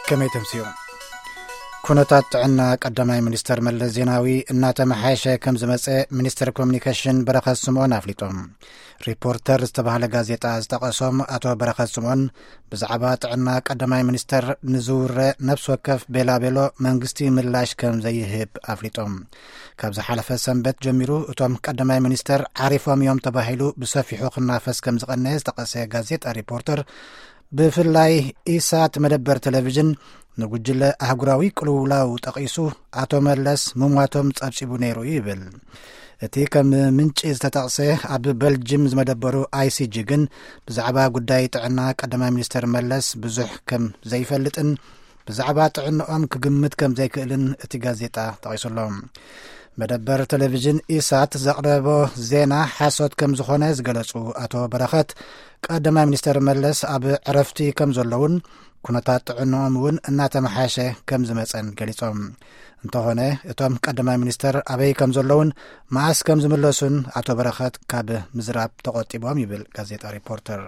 ከመይ ተምስዮ? ኩነታት ጥዕና ቀዳማይ ሚኒስተር መለስ ዜናዊ እናተመሓየሸ ከም ዝመጸ ሚኒስተር ኮሚኒኬሽን በረኸት ስምኦን ኣፍሊጦም። ሪፖርተር ዝተባህለ ጋዜጣ ዝጠቐሶም ኣቶ በረኸት ስምኦን፣ ብዛዕባ ጥዕና ቀዳማይ ሚኒስተር ንዝውረ ነፍሲ ወከፍ ቤላቤሎ መንግስቲ ምላሽ ከም ዘይህብ ኣፍሊጦም። ካብ ዝሓለፈ ሰንበት ጀሚሩ እቶም ቀዳማይ ሚኒስተር ዓሪፎም እዮም ተባሂሉ ብሰፊሑ ክናፈስ ከም ዝቐነየ ዝጠቐሰ ጋዜጣ ሪፖርተር፣ ብፍላይ ኢሳት መደበር ቴሌቪዥን ንጉጅለ ኣህጉራዊ ቅልውላው ጠቒሱ፣ ኣቶ መለስ ምሟቶም ጸብጺቡ ነይሩ ይብል። እቲ ከም ምንጪ ዝተጠቕሰ ኣብ በልጅም ዝመደበሩ ኣይሲጂ ግን፣ ብዛዕባ ጉዳይ ጥዕና ቀዳማይ ሚኒስተር መለስ ብዙሕ ከም ዘይፈልጥን ብዛዕባ ጥዕንኦም ክግምት ከም ዘይክእልን እቲ ጋዜጣ ጠቒሱ ኣሎ። መደበር ቴሌቪዥን ኢሳት ዘቕረቦ ዜና ሓሶት ከም ዝኾነ ዝገለጹ ኣቶ በረኸት፣ ቀዳማይ ሚኒስተር መለስ ኣብ ዕረፍቲ ከም ዘለውን ኩነታት ጥዕንኦም እውን እናተመሓየሸ ከም ዝመጸን ገሊጾም። እንተኾነ፣ እቶም ቀዳማይ ሚኒስተር ኣበይ ከም ዘለውን መዓስ ከም ዝምለሱን ኣቶ በረኸት ካብ ምዝራብ ተቖጢቦም ይብል ጋዜጣ ሪፖርተር።